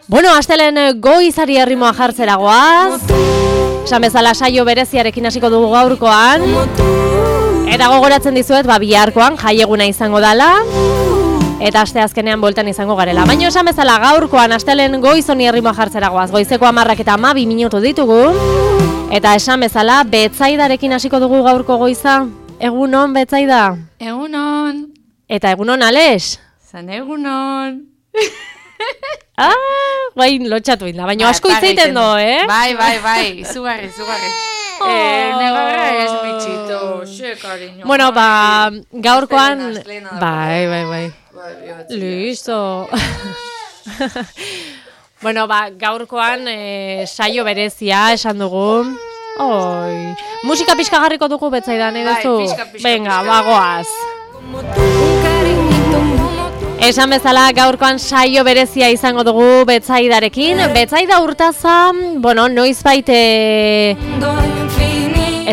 Bueno, astelen goizari errimoa jartzera goaz. Esan bezala saio bereziarekin hasiko dugu gaurkoan. Eta gogoratzen dizuet, biharkoan jaieguna izango dela. Eta asteazkenean bueltan izango garela. Baina esan bezala gaurkoan astelen goizoni errimoa jartzera goaz. Goizeko 10:12 minutu ditugu. Eta esan bezala Betzaidarekin hasiko dugu gaurko goiza. Egunon, Betzaida? Egunon. Eta egunon, Alex? Zan egunon. Bain lotxatu inda, baina asko itzeiten do, Bai, izugarri. Negara ez mitxito, xe, cariño. Bueno, gaurkoan... Bai. Listo. Bueno, gaurkoan saio berezia esan dugu. Oi. Musika pixka garriko dugu Betzaidan, edo? Venga, bagoaz. Esan bezala gaurkoan saio berezia izango dugu Betzaidarekin. Betzaida Urtaza, noizbait ez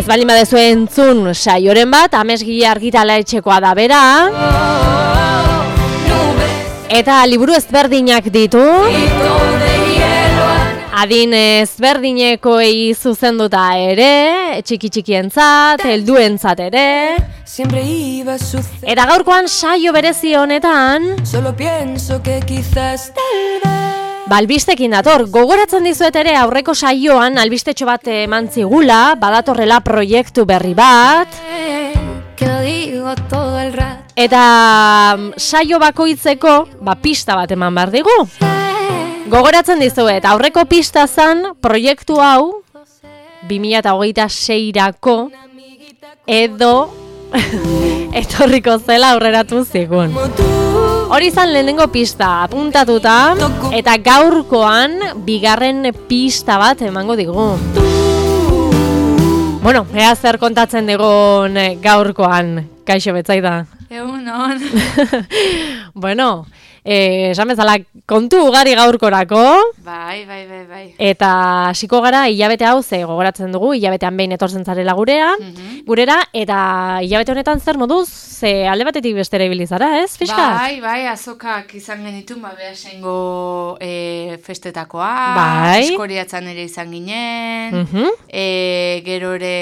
baldin badezu entzun saioren bat, Amesgile Argitaraetxekoa da bera. Eta liburu ezberdinak ditu. Adin ezberdinekoei zuzenduta ere, txiki-txikientzat, helduentzat ere. Eta gaurkoan saio berezi honetan, albistekin dator. Gogoratzen dizuet ere aurreko saioan albistetxo bat eman zigula, badatorrela proiektu berri bat. Eta saio bakoitzeko, pista bat eman behar digu. Gogoratzen dizuet, aurreko pista zan proiektu hau 2026-rako edo etorriko zela aurreratu zigun. Hori zan lehenengo pista apuntatuta eta gaurkoan bigarren pista bat emango digu. Bueno, ea zer kontatzen digun gaurkoan, Kaixo Betzaida. Egunon. Bueno, esan bezala kontu ugari gaurkorako. Bai. Eta hasiko gara hilabete hau ze gogoratzen dugu, hilabetean behin etortzen zarela gurera, eta hilabete honetan zer moduz, ze alde batetik bestera ibili zara, ez, fiskat? Bai, azokak izan genitun, behasengo festetakoa, eskoriatzan ere izan ginen, gero ere,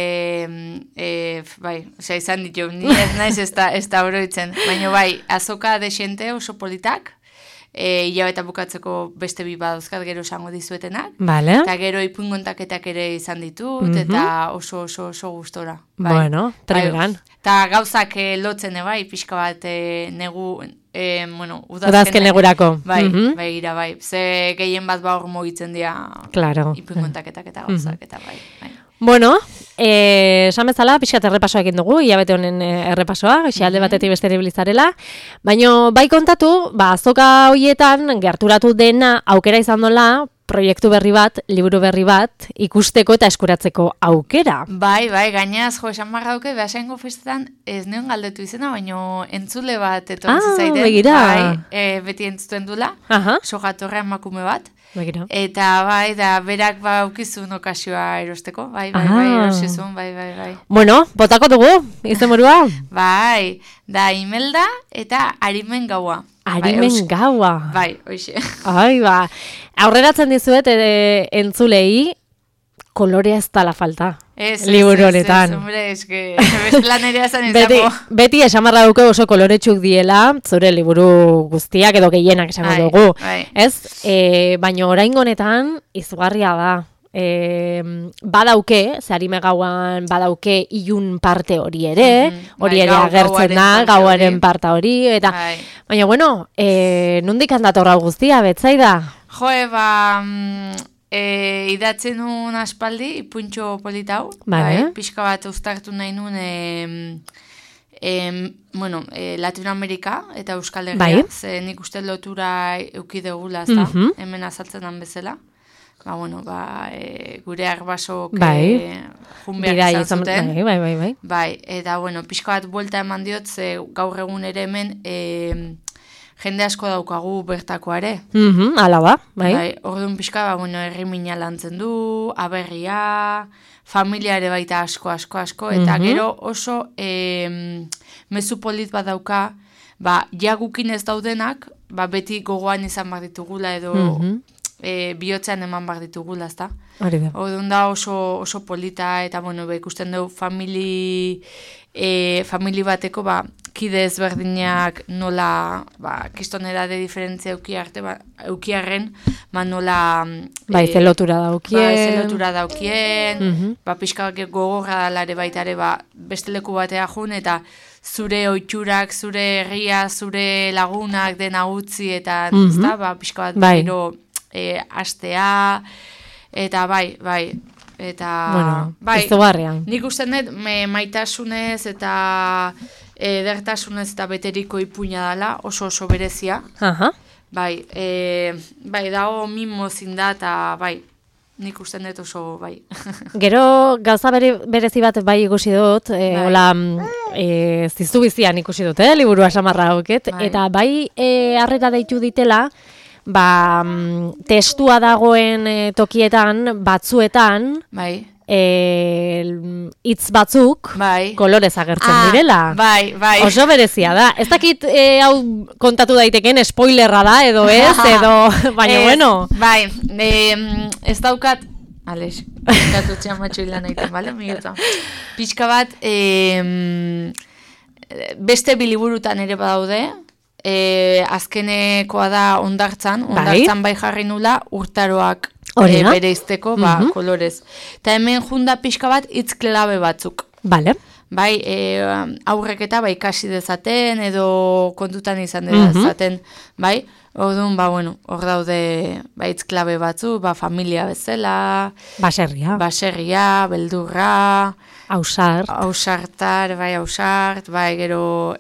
izan ditu, naiz ez da oroitzen, baina azoka desente oso politak, hilabeta bukatzeko beste bi badozkat gero esango dizuetenak. Vale. Eta gero ipuingontaketak ere izan ditut, eta oso gustora. Bueno, treberan. Eta gauzak lotzen pixka bat negu, udazken negurako. Bai. Ze gehien bat hor mugitzen dira ipuingontaketak eta gauzak, eta bai. Bueno, esan bezala, pixkat errepasoa egin dugu, hilabete honen errepasoa, alde batetik beste ibilizarela, baina bai kontatu, azoka horietan gerturatu dena aukera izan dola, proiektu berri bat, liburu berri bat, ikusteko eta eskuratzeko aukera. Bai, gainaz, esan barra duke, behasengo festetan ez neon galdetu izena, baina entzule bat etortzi zaiten. Begira. Bai, beti entzuten dula, sogatorra emakume bat. Begira. Eta berak aukizun okasioa erosteko, bai, erosizun, bai. Bueno, botako dugu, izen burua? Bai, da Imelda eta Arimen Gaua. Arimen Gaua. Bai, hoxe. Aurreratzen dizuet entzulei, kolorea ez dala falta. Liburu honetan. Hombre, eske bestelan ere azan izango. Beti esamarra duke oso koloretxuk diela, zure liburu guztiak edo gehienak esango dugu. Ez? Baina oraingo honetan izugarria da. Badauke, Arime Gauan badauke ilun parte hori ere, hori ere agertzen da, gauaren parte hori, eta baina bueno, nondik handatorra guztia, Betzaida? Idatzen nun aspaldi, ipuntxo politau, pixka bat uztartu nahi nun, Latinoamerika eta Euskal Herria, ze nik uste lotura eukidegula, hemen azaltzen dan bezala. Gure arbasok junbeak izan zuten. Bai, eta pixka bat buelta eman diot, ze gaur egun ere hemen jende asko daukagu bertakoa ere. Ala ba, bai. Orduan pixka, herri mina lantzen du, aberria, familia ere baita asko, eta gero oso mezu polit bat dauka, jagukin ez daudenak, beti gogoan izan bat ditugula edo bihotzean eman bar ditugula, ezta? Hori da. Orduan da oso polita, eta, bueno, ikusten dugu famili bateko, kide ezberdinak nola, kistonera de diferentzia eukiarren, nola... zelotura daukien. Zelotura daukien, pixka gogorra dalare baitare, beste leku batea jun, eta zure oitxurak, zure herria, zure lagunak dena utzi, eta pixka bat gero astea, eta bai, eta... Bueno, izugarrian. Nik usten dut, maitasunez eta edertasunez eta beteriko ipuina dela, oso berezia. Bai, dago mimo zinda, eta bai, nik usten dut oso, bai. Gero, gauza berezi bat bai ikusi dut, hola, ziztu bizian ikusi dut, liburua samarra hauket, eta bai harrera deitu ditela, testua dagoen tokietan, batzuetan, hitz batzuk kolorez agertzen direla. Bai. Oso berezia da. Ez dakit hau kontatu daiteken spoilerra da, edo ez, edo, baina bueno. Bai, ez daukat, Alex, pixkatu txamatxo hilan egiten, bale, miguelta. Pixka bat, beste biliburutan ere badaude, azkenekoa da ondartzan bai jarri nula urtaroak bereizteko, kolorez. Eta hemen junda pixka bat hitz klabe batzuk. Bale. Bai, aurrek eta ikasi dezaten, edo kontutan izan dezaten, bai. Orduan, hor daude hitz klabe batzu, familia bezala, baserria, beldurra, ausartar, ausart, gero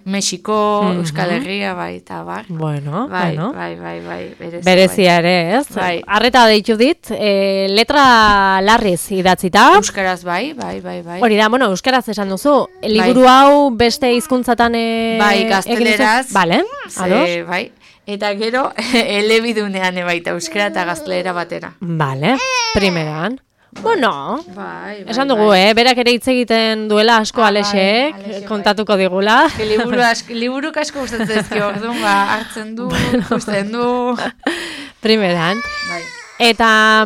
Mexiko, Euskal Herria, eta bar. Bueno. Berezia ere, ez? Arreta deitu dit, letra larriz idatzita. Euskaraz, bai. Hori da, euskaraz esan duzu, liburu hau beste hizkuntzatan gazteleraz. Bale, ados. Bai. Eta gero, elebidunean baita euskara eta gaztelera batera. Bale, primeran. Bueno, esan dugu, berak ere hitz egiten duela asko Alexek, kontatuko digula. Liburuk asko gustatzen dizkio, orduan hartzen du, ikusten du. Primeran. Eta,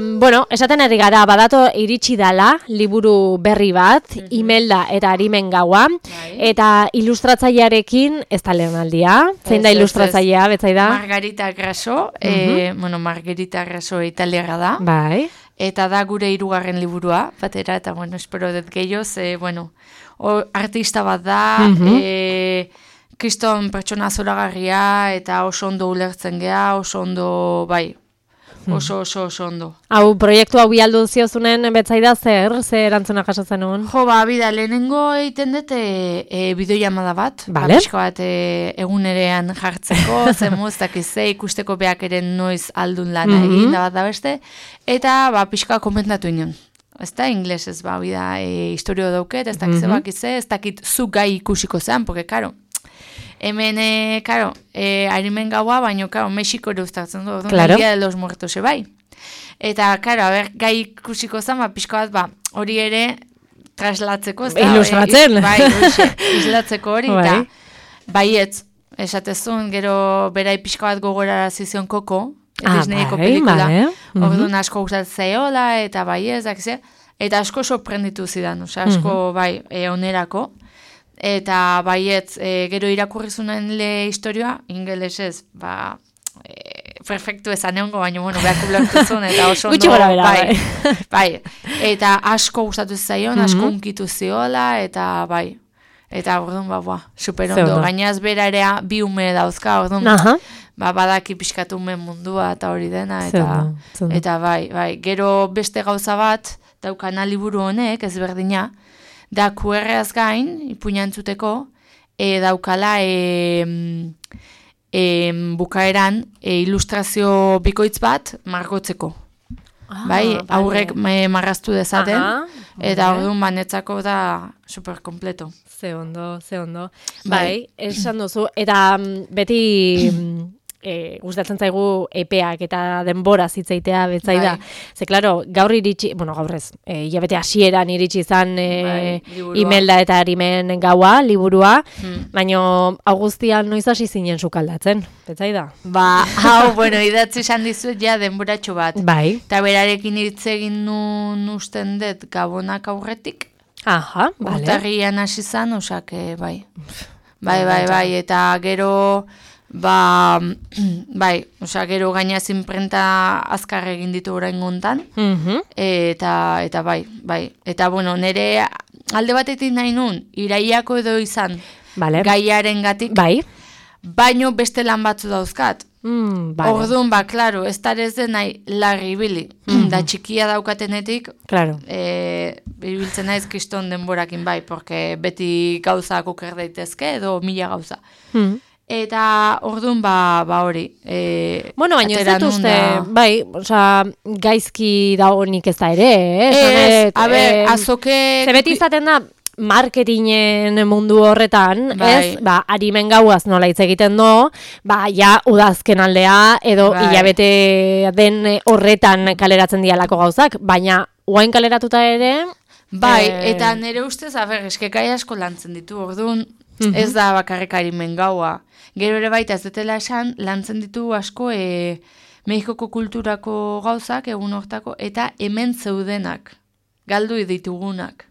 esaten ari gara, badato iritsi dala, liburu berri bat, Imelda eta Arimen gaua, eta ilustratzailearekin ez da lehenaldia, zein da ilustratzailea, betzai da? Margarita Grasso, Margarita Grasso italiarra da. Bai. Eta da gure 3. liburua, batera, eta, espero dut gehiagoz, artista bat da, kriston pertsona zoragarria, eta oso ondo ulertzen gea, oso ondo, bai, oso ondo. Hau, proiektu hau bialdu ziozunen betzaida zer erantzuna jasotzen nuen? Jo, bida, lehenengo egiten dut bideoiamada bat, pixko bat egunerean jartzeko, zemuz, dakize, ikusteko beak ere noiz aldun lana egin da bat da beste, eta pixkoa komentatu inoen. Ez da, inglesez, bida, historio dauket, ez dakize bakize, ez dakit zu gai ikusiko zen, porque, karo, hemen, Arimen gaua, baina, Mexiko ere uztatzen du, claro. Dia de los Muertos, bai. Eta, gai ikusiko zen, pixko bat, hori ere, traslatzeko, ez da? Ilustratzen. Islatzeko hori, eta, baietz, esatezun, gero, berai pixko bat gogorara zizion Koko, Disneyko pelikula, orduan asko gustatzeola, eta baietz, eta asko sorprenditu zidan, asko, onerako, eta baietz, gero irakurrizunen historioa, ingelesez, perfektu ezan egongo, baina, behar kublertuzun, eta oso ondo, bai, eta asko gustatu zaion, asko unkitu ziola, eta bai, eta orduan, super ondo, gainaz bera ere bi ume dauzka, orduan, badaki pixkatu ume mundua, eta hori dena, eta bai, gero beste gauza bat, daukana liburu honek, ezberdina, da QR-az gain, ipuñantzuteko, daukala bukaeran ilustrazio bikoitz bat margotzeko. Bai, aurrek marraztu dezaten, eta orduan banetzako da super kompleto. Ze ondo. Bai, esan duzu, eta beti gustatzen zaigu epeak eta denbora zitzaitea betzaida. Ze, klaro, gaur iritsi, gaur ez, hilabete hasieran iritsi izan Imelda eta Arimen gaua, liburua, baina Augustian noiz hasi zinen sukaldatzen, betzaida? Idatzi esan dizuet ja denboratxo bat. Bai. Eta berarekin hitz egin nun usten dut Gabonak aurretik. Aha, bale. Urtarrian hasi zan, osak, bai. Bai, eta gero, gero gainaz inprenta azkar egin ditu orain gontan. Eta bai. Eta, nire alde batetik nahi nun, iraiako edo izan, gaiaren gatik. Bai. Baino beste lan batzu dauzkat. Orduan, klaro, ez darez den nahi larri ibili. Da txikia daukatenetik, ibiltzen naiz kriston denborakin bai, porque beti gauzak oker daitezke edo 1000 gauza. Eta orduan, hori. Baina ez dut uste, gaizki dagoenik ez da ere, azoke... Zebeti izaten da, marketingen mundu horretan, ez? Arimen gauaz nola hitz egiten do, udazken aldea, edo hilabete den horretan kaleratzen dialako gauzak, baina oain kaleratuta ere... eta nire ustez, eskekai asko lantzen ditu, orduan ez da bakarrik Arimen gaua. Gero ere baita ez dutela esan, lantzen ditu asko Mexikoko kulturako gauzak, egun hortako, eta hemen zeudenak, galdu ditugunak.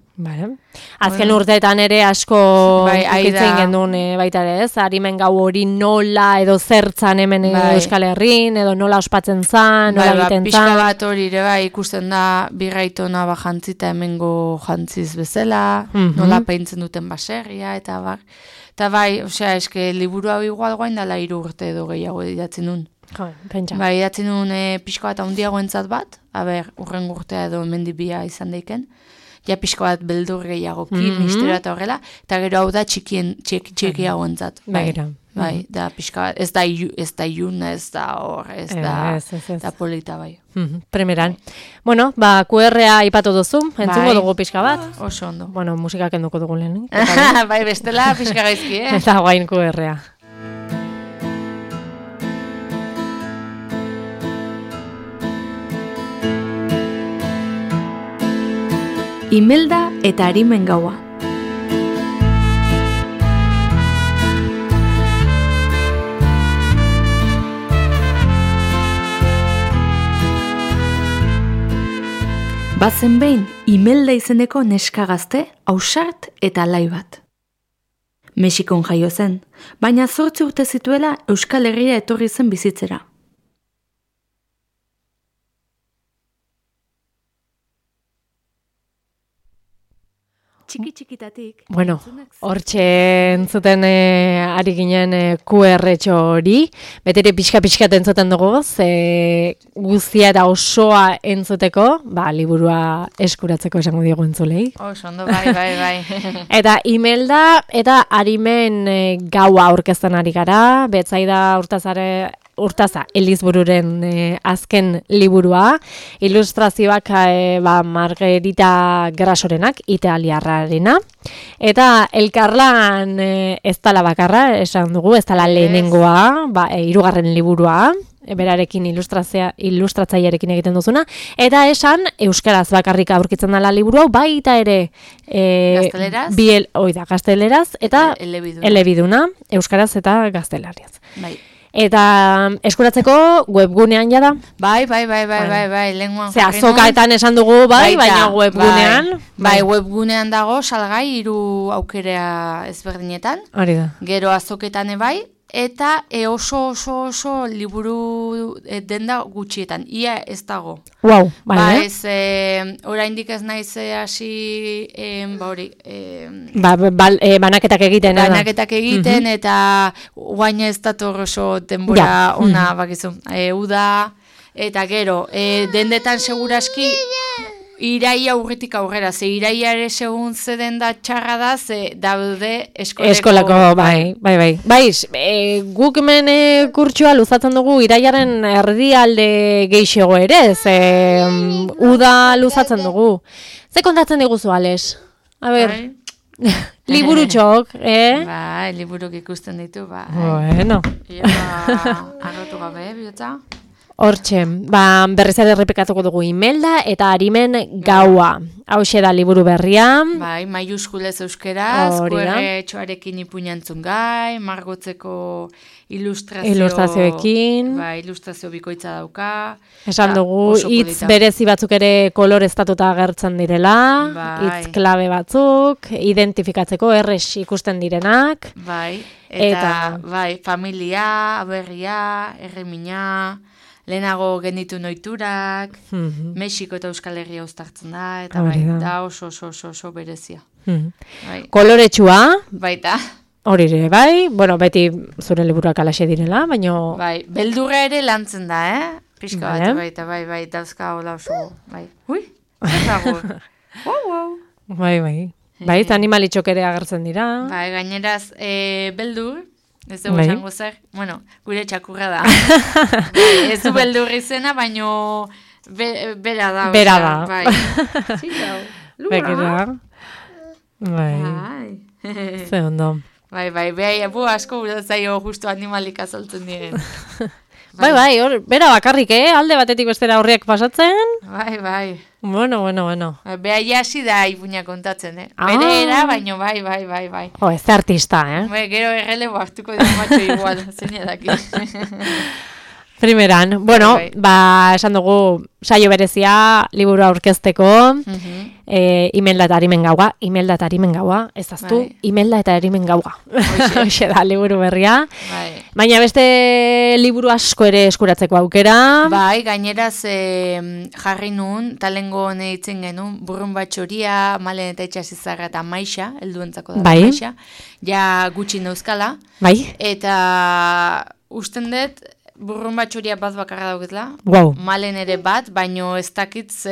Azken urteetan ere asko ukitzen gendun baita ere ez, Arimen gau hori nola edo zertzan hemen Euskal Herrin, edo nola ospatzen zan, nola egiten zan. Pixka bat hori ere ikusten da birraitona jantzita hemengo jantziz bezala, nola paintzen duten baserria, eta eske liburu hau igual guain dala 3 urte edo gehiago idatzen nun. Idatzen nun pixka bat handiago entzat bat, urren urtea edo mendibia izan daiken, ja pixko bat beldur gehiago misterio eta horrela, eta gero hau da txikiago entzat. Da pixka bat, ez da iun, ez da hor, ez da polita bai. Primeran. QR-a ipatu duzu, entzungo dugu pixka bat. Oso ondo. Musikak enduko dugu lehen. Bestela pixka gaizki, Eta guain QR-a. Imelda eta Arimen gaua. Bazen behin, Imelda izeneko neska gazte, ausart eta alai bat. Mexikon jaio zen, baina 8 urte zituela Euskal Herria etorri zen bizitzera. Txikitatik. Hortxe entzuten ari ginen QR-txo hori, betere pixka-pixkat entzuten dugu, guztia eta osoa entzuteko, liburua eskuratzeko esango diogu entzulei. Oso ondo, bai. Eta Imelda eta Arimen gaua aurkezten ari gara, betzaida Urtaza, Elizbururen azken liburua, ilustrazioak Margarita Grasorenak, italiarrarena, eta elkarlan ez dala bakarra, esan dugu, ez dala lehenengoa, 3. liburua, berarekin ilustratzailearekin egiten duzuna, eta esan euskaraz bakarrik aurkitzen dela liburu hau, baita ere gazteleraz, eta elebiduna, euskaraz eta gaztelariaz. Eta eskuratzeko webgunean jada? Bai, lenguan jarri. Azokaetan esan dugu, baina webgunean? Webgunean dago, salgai 3 aukerea ezberdinetan. Hori da. Gero azoketan bai, eta oso liburu denda gutxietan. Ia ez dago. Wow, bale. Oraindik ez naiz hasi banaketak egiten. Banaketak egiten, eta guaina ez dator oso denbora ona bakizu. Uda, eta gero, dendetan seguraski iraia urritik aurrera, iraia ere segun zeden da txarra da, daude eskolako. Bai, guk hemen kurtsua luzatzen dugu iraiaren erdialde geixego ere, uda luzatzen dugu. Ze kontatzen diguzu, Ales? A ber, Liburutxok, Bai, liburuk ikusten ditu, bai. Bueno. Arrotu gabe, bihotza? Hortxe, berriz ere errepikatuko dugu Imelda eta Arimen gaua. Hauxe da liburu berria. Bai, maiuskulez euskeraz, kuerretxoarekin ipuñantzun gai, margotzeko ilustrazioekin. Bai, ilustrazio bikoitza dauka. Esan dugu, hitz berezi batzuk ere koloreztatuta agertzen direla, hitz klabe batzuk, identifikatzeko errex ikusten direnak. Bai, eta bai, familia, aberria, erremina, lehenago genditu noiturak, Mexiko eta Euskal Herria uztartzen da, eta bai, da oso berezia. Koloretsua. Baita. Hori ere, bai, bueno, beti zure liburuak alaxe direla, baino... Bai, beldurra ere lantzen da, Pixka bat, baita, bai, dauzka hola oso, bai. Ui, zerrago. Bai, bai, animalitxok ere agertzen dira. Bai, gaineraz, beldur, ez dugu esango zer, bueno, gure txakurra da. Ez du beldur izena, baino bera da. Bera da. Bai. Zitau, lura. Bai. Ze ondo. Bai, beha asko zaio justu animalik azaltzen diren. Bai, bera bakarrik, alde batetik bestera horriak pasatzen. Bai. Bueno. Beha jasi da ipuña kontatzen, Bere era, baino bai. Ez da artista, Bai, gero errelebo hartuko dira matxo igual, zein edaki. Primeran, bueno, esan dugu saio berezia, liburu aurkezteko, Imelda eta Arimen gaua, ez aztu, Imelda eta Arimen gaua. Hoxe da, liburu berria. Baina beste liburu asko ere eskuratzeko aukera. Bai, gaineraz jarri nun, talengo hone ditzen genuen, burrun batxoria, Malen eta Itxasizarra eta Maixa, helduentzako da Maixa, ja gutxi neuzkala. Bai. Eta usten dut, burrun batxoria bat bakarra dauketla. Wow. Malen ere bat, baino ez dakitz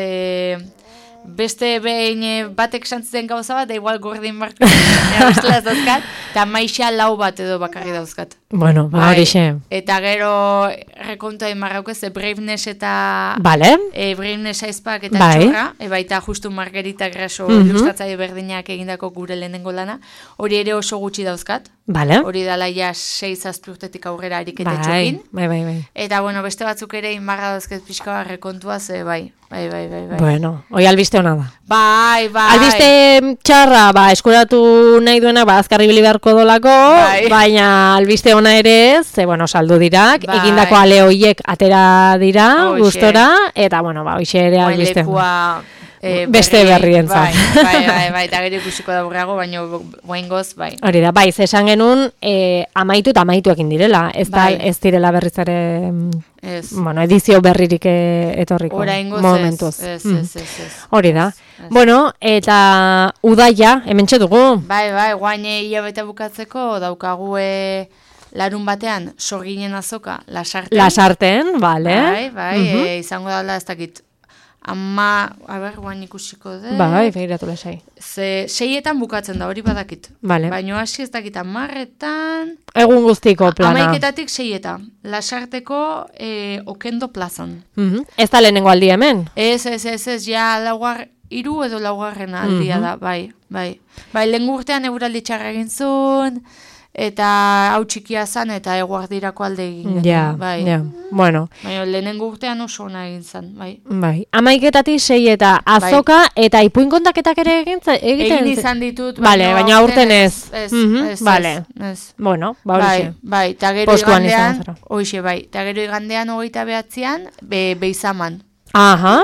beste behin batek santzen gauza bat, da igual gordin marko bestela ez dauzkat, eta Maixa lau bat edo bakarri dauzkat. Bueno, horixe. Eta gero rekontua imarraukez, Braveness eta Braveness aizpak eta txorra, baita justu Margarita Graso ilustratzaile berdinak egindako gure lehenengo lana, hori ere oso gutxi dauzkat. Hori dala ja 6-7 urtetik aurrera ariketetxokin. Bai. Eta, bueno, beste batzuk ere inbarra dauzket pixka bat rekontuaz, bai. Bueno, hoi albiste hona da. Bai. Albiste txarra, eskuratu nahi duena, azkarri bili beharko dolako, baina albiste ona ere ez, bueno, saldu dirak, egindako ale hoiek atera dira, gustora, eta, bueno, hoixe ere albiste hona. Beste berrientzat. Bai, eta gero ikusiko da burrago, baina guaingoz, bai. Hori da, esan genuen amaitu eta amaituekin direla, ez direla berriz ere, bueno, edizio berririk etorriko momentuz. Ez. Hori da. Bueno, eta udaia, hemen txedugu. Bai, guain hilabete bukatzeko daukagu larun batean sorginen azoka Lasarten. Lasarten, bale. Bai, izango dala ez dakit. Guain ikusiko dut. Bai, begiratu lasai. 6etan bukatzen da, hori badakit. Baina hasi ez dakit 10etan... Egun guztiko plana. 11etatik 6etan. Lasarteko Okendo plazan. Ez da lehenengo aldi hemen? Ez, ja hiru edo laugarren aldia da, bai. Lehen urtean eguraldi txarra egin zuen... Eta hau txikia zan eta eguardirako alde egin. Ja, bueno. Baina lehenengo urtean oso ona egin zan, bai. 11etatik 6 eta azoka eta ipuin kontaketak ere egiten? Egin izan ditut. Baina aurten ez. Ez. Bueno, horixe. Bai, eta gero igandean, eta gero igandean 29an, Beizaman. Aha,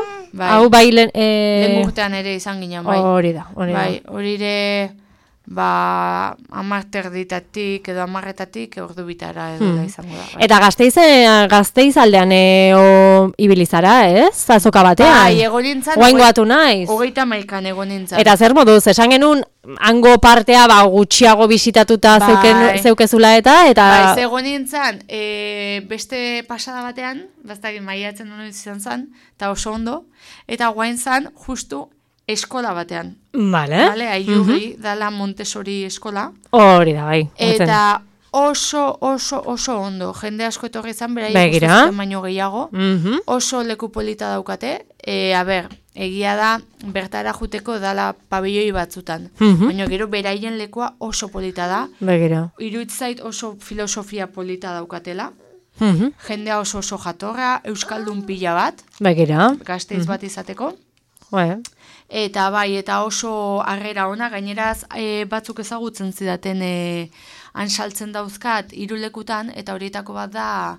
hau bai lehen urtean ere izan ginen, bai. Hori da. Hori ere... 10:00 edo 10:00 ordu bitara edo da izango da. Eta Gasteiz aldean ibilizara, ez? Azoka batean. Bai, egonintzan. Oaingoatu naiz. 31an egonintzan. Eta zer moduz, esan genuen hango partea gutxiago bisitatuta zeukezula eta... Bai, egonintzan, beste pasada batean, baztakin maiatzen duen izan zan, eta oso ondo, eta guain zan, justu, eskola batean. Vale, Aiurri, dala Montessori eskola. Hori da, bai. Eta oso ondo. Jende asko etorri izan, bera ikusten baino gehiago. Oso leku polita daukate. egia da, bertara juteko dala pabelloi batzutan. Baina gero beraien lekua oso polita da. Begira. Iruditzait oso filosofia polita daukatela. Jendea oso jatorra, euskaldun pila bat. Begira. Gazteiz bat izateko. Eta eta oso harrera ona, gaineraz batzuk ezagutzen zidaten ansaltzen dauzkat irulekutan, eta horietako bat da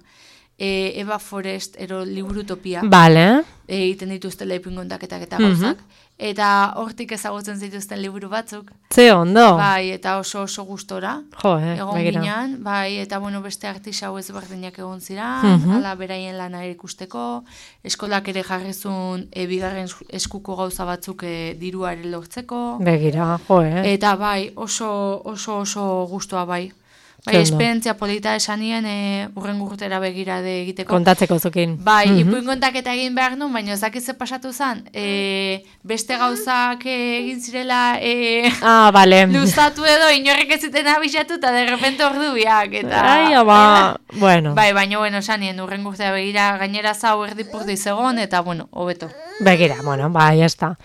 Eva Forest liburutopia. Bale. Egiten dituztela ipingontaketak eta gauzak. Eta hortik ezagutzen zituzten liburu batzuk. Ze ondo. Bai, eta oso gustora. Egon ginean, bai, eta beste artista hau ezberdinak egon ziren, ala beraien lana ikusteko, eskolak ere jarrizun bigarren eskuko gauza batzuk diruaren lortzeko. Begira, Eta bai, oso gustoa bai. Bai, esperientzia polita esanien urren urtera begira de egiteko. Kontatzeko zukin. Bai, ipuin kontaketa egin behar nuen, baina zakize pasatu zen, beste gauzak egin zirela bale. luztatu edo inorrek ez zuten abisatu eta derrepente ordu biak. Bueno. Bai, baina, esanien urren urtera begira gainera zau erdipurdi zegoen, eta, hobeto. Begira, bai, jazta.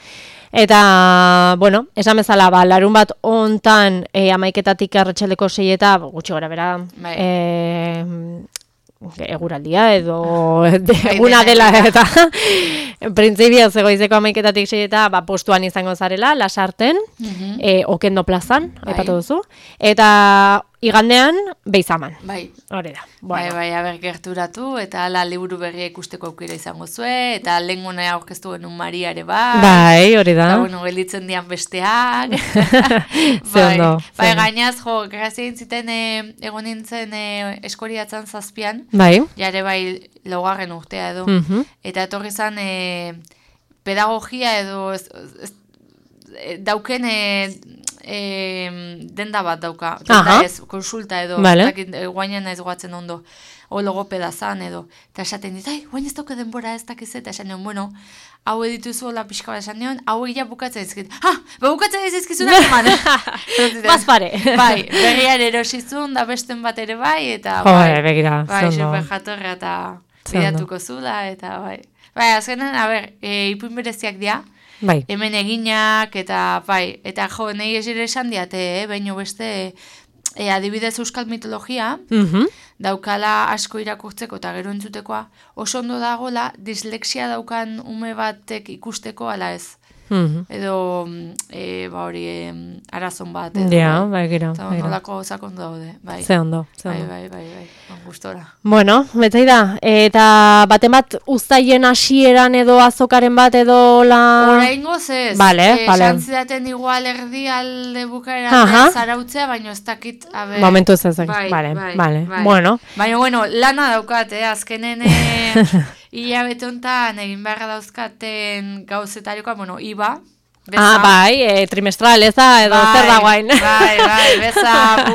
Eta, esan bezala, larun bat ontan 11:00 arratsaldeko 6:00 gutxi gora bera, eguraldia edo eguna dela eta printzipio zegoizeko 11:00 6:00 postuan izango zarela, Lasarten, Okendo plazan, aipatu duzu, eta igandean Beizaman. Bai. Hori da. Bai, gerturatu, eta ala liburu berria ikusteko aukera izango zue, eta lehenguna aurkeztu genuen Maria ere bai. Bai, hori da. Eta, gelditzen dian besteak. Bai, gainaz, grazia intziten egon nintzen Eskoriatzan 7. Bai. Jare bai, laugarren urtea edo. Eta etorri zan pedagogia edo dauken denda bat dauka. Denda ez, konsulta edo. Guainan ez goatzen ondo. O logopeda zan edo. Eta esaten dit, guain ez dauke denbora ez dakiz eta esan nion, hau edituzu hola pixka bat esan nion, hau egia bukatzen ezkit. Bukatzen ez ezkizunak eman. Bazpare. Bai, berriar erosizun, da besten bat ere bai, eta bai. Begira, bai, super jatorra eta bidatuko zula, eta bai. Bai, azkenan, ipuin bereziak dira. Bai. Hemen eginak, eta bai, eta nahi ez ere esan diate, baino beste, adibidez euskal mitologia, daukala asko irakurtzeko eta gero entzutekoa, oso ondo dagoela dislexia daukan ume batek ikusteko ala ez. Edo, hori, arazon bat. Ja, bai, gira. Eta ondolako ondo daude, bai. Ze ondo. Bai, gustora. Bueno, betzai da, eta baten bat uztaien hasieran edo azokaren bat edo la... Oraingoz ez. Bale. Xantzidaten igual erdi alde bukaeran zarautzea, baina ez dakit, momentu ez ezak. Bale. Bueno. Baina, lana daukat, azkenen... Hilabete honetan egin beharra dauzkaten gauzetarikoa, IBA. Bai, trimestral eza edo zer da guain. Bai, beza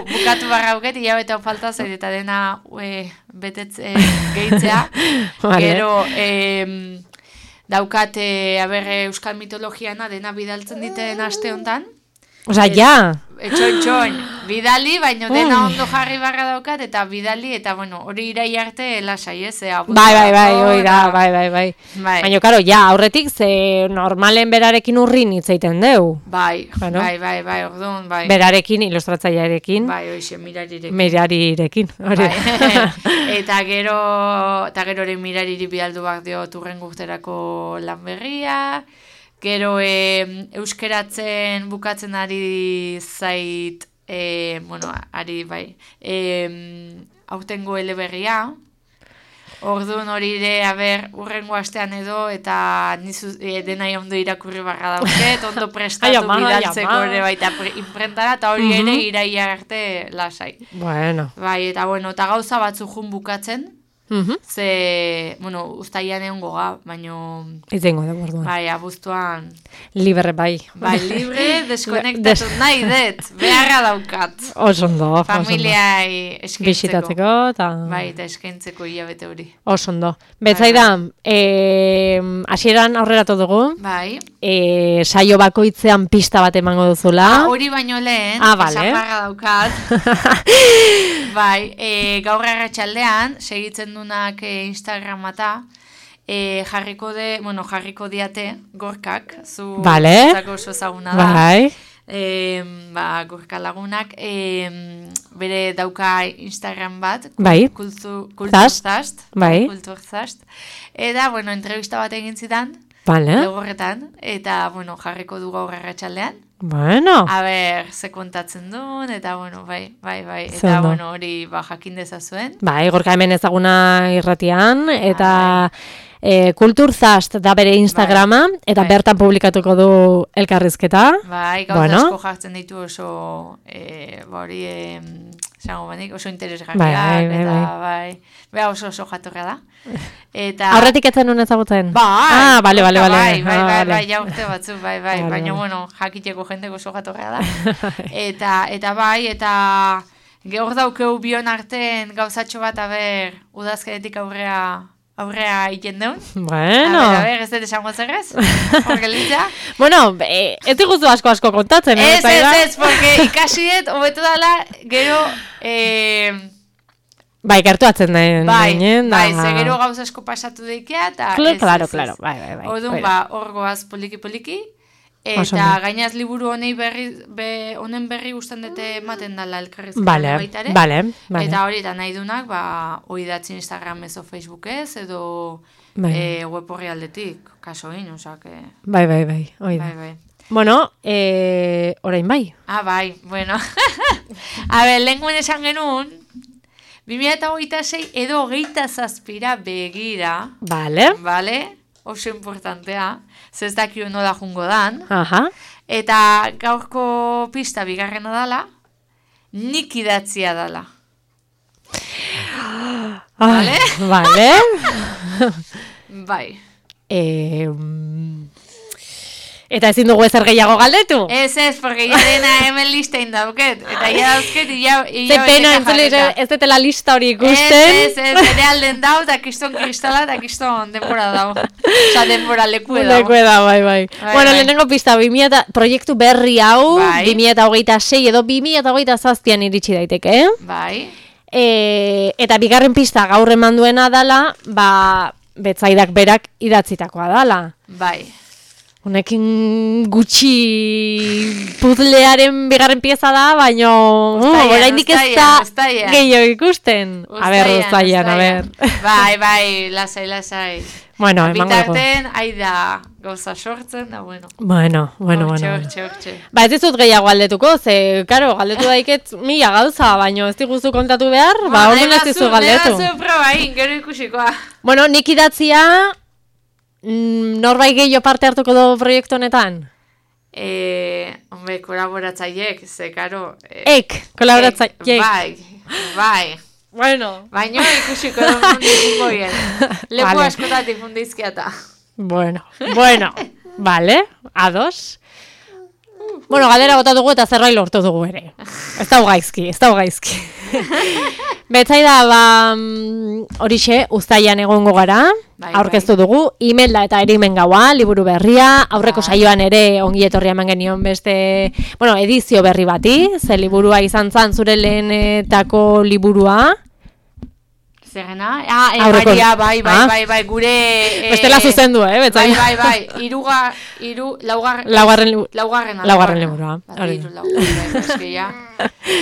bukatu barra buket, hilabete hon falta zer eta dena betetze gehitzea. Gero, daukat, euskal mitologiana dena bidaltzen diten aste honetan. Osa, ja! Etxoin, bidali, baina dena ondo jarri barra daukat, eta bidali, eta hori irai arte lasai, ez? Bai, oira, bai. Baina, karo, ja, aurretik, ze normalen berarekin urrin hitzeiten deu. Bai, orduan, bai. Berarekin, ilustratzailearekin. Bai, hoxe, mirarirekin. Mirarirekin, hori. Eta gero ere mirariri bidaldu bak dio turren guzterako lan berria. Gero euskeratzen bukatzen ari zait, ari bai, aurtengo eleberria. Orduan hori ere, urrengo astean edo, eta denai ondo irakurri barra dauket, ondo prestatu bidaltzeko ere baita imprentara, eta hori ere iraia arte lasai. Bueno. Bai, eta gauza batzu jun bukatzen. Ze, uztaian egon goga, baino... Izengo da, borduan. Bai, abuztuan... Libre, bai. Bai, libre, deskonektatu nahi dut, beharra daukat. Osondo. Familiai eskaintzeko. Bisitatzeko, eta... Bai, eta eskaintzeko hilabete hori. Osondo. Betzai da, hasieran aurreratu dugu. Bai. Saio bakoitzean pista bat emango duzula. Hori baino lehen, bale. Esaparra daukat. Bai, gaur arratsaldean segitzen dunak Instagramata, jarriko diate gorkak, zu oso ezaguna da. Bai. Gorka lagunak, bere dauka Instagram bat, bai. Kulturzast, bai. Kulturzast, eta, entrevista bat egin zidan, legorretan, eta, jarriko du gaur arratsaldean. A ber, ze kontatzen duen, eta, bai, eta, hori, jakin dezazuen. Bai, Gorka hemen ezaguna irratian, eta Kulturzast da bere Instagrama, eta bertan publikatuko du elkarrizketa. Bai, gauza asko jartzen ditu oso, hori, oso interesgarriak, eta bai, oso jatorra da. Aurretik etzen nuen ezagutzen? Bai, bale. Ja urte batzu, bai, baina, jakiteko jendeko oso jatorra da. Eta bai, eta gaur daukeu bion artean gauzatxo bat, udazkenetik aurrea egiten deun. A ver, ez dut esango zerrez? Jorgelitza? Ez diguzu asko kontatzen. Ez, porque ikasiet, hobetu dala, gero... Bai, gertuatzen da. Bai, ze gero gauz asko pasatu deikea, eta... Claro, bai. Odun, hor goaz poliki, eta gainaz liburu honen berri guztan dute ematen dala elkarrizketan baitare. Bale. Eta hori eta nahi dunak, oidatzi Instagram ez o Facebook ez, edo web horri aldetik, kaso egin, osak. Bai, oida. Bueno, orain bai. Bai, bueno. A ber, lehenguen esan genuen, 2026 edo 27 begira. Bale. Oso importantea, ez dakio nola jungo dan. Eta gaurko pista bigarrena dala, nik idatzia dala. Bale? Bai. Eta ezin dugu ezer gehiago galdetu? Ez, porque ya dena hemen listein dauket. Eta ya dauzket, Ze pena, ez detela lista hori ikusten. Ez, ere alden dau, eta kiston kristala, eta kiston denbora dau. Osa, denbora lekue dau. Bai. Bueno, lehenengo pista, proiektu berri hau, 2026 edo 2027an iritsi daiteke, Bai. Eta bigarren pista gaur eman duena dala, Betzaidak berak idatzitakoa dala. Bai. Honekin gutxi puzlearen bigarren pieza da, baina oraindik ez da gehiago ikusten. A ber, uztaian. Bai, lasai. Bueno, emango dugu. Bitarten, aida gauza sortzen, da bueno. Bueno. Hortxe. Ez dizut gehiago galdetuko, ze, karo, galdetu daiket 1000 gauza, baina ez diguzu kontatu behar, orduan ez dizu galdetu. Nahi probain, gero ikusikoa. Bueno, nik idatzia... Norbait gehiago parte hartuko du proiektu honetan? Kolaboratzaiek, ze, karo... Kolaboratzaiek. Bai. Bueno. Baina ikusiko dugu goien. Leku askotatik fundizkiata. Bueno. Vale, ados. Bueno, galera bota dugu eta zerbait lortu dugu ere. Ez da gaizki. Betzaida, horixe, uztaian egongo gara, aurkeztu dugu, Imelda eta Erimen gaua, liburu berria, aurreko saioan ere ongi etorria eman genion beste, edizio berri bati, ze liburua izan zan zure lehenetako liburua. Zerrena? Bai, gure... Bestela zuzendu, betzaida. Bai, laugarrena liburua.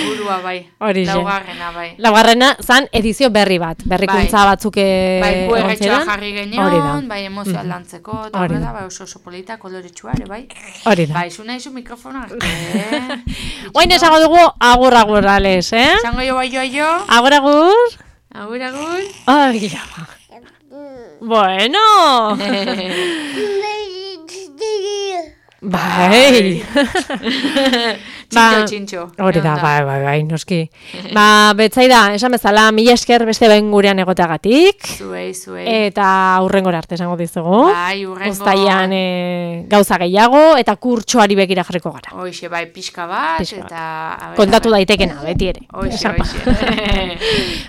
Burua, bai. Laugarrena, bai. Laugarrena zan edizio berri bat. Berrikuntza batzuk egon ziren. Jarri genion, bai, emozio aldantzeko, eta horrela, bai, oso polita, koloretsuare, bai. Hori da. Bai, zuna izu mikrofona. Oin esango dugu agur, ales, Esango jo, bai, jo. Agur. Ai, bueno. Bai. Txintxo. Hori da, bai, noski. Betzaida, esan bezala, 1000 esker beste behin gurean egoteagatik. Zuei. Eta hurrengora arte esango dizugu. Bai, hurrengo. Uztaian gauza gehiago, eta kurtsoari begira jarriko gara. Hoxe, bai, pixka bat, eta... Kontatu daitekena, beti ere. Hoxe.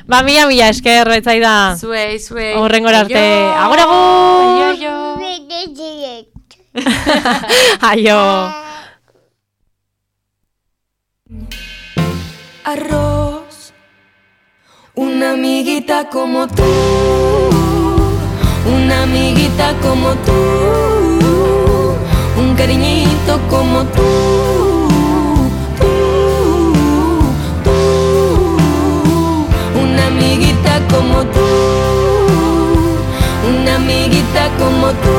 Mila esker, betzaida. Zuei. Hurrengora arte. Agur. Aio. Arroz, una amiguita como tú, una amiguita como tú, un cariñito como tú, una amiguita como tú, una amiguita como tú,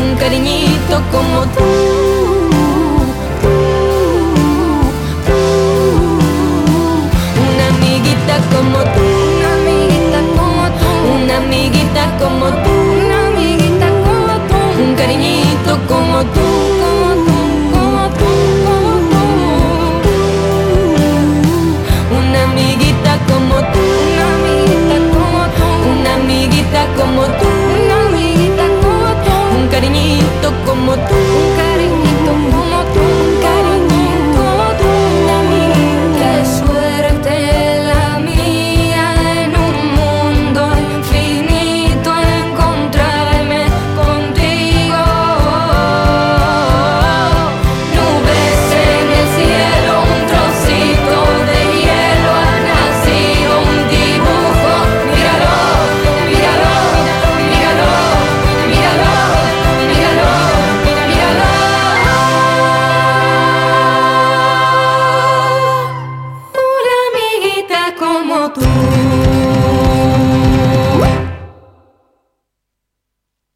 un cariñito como tú.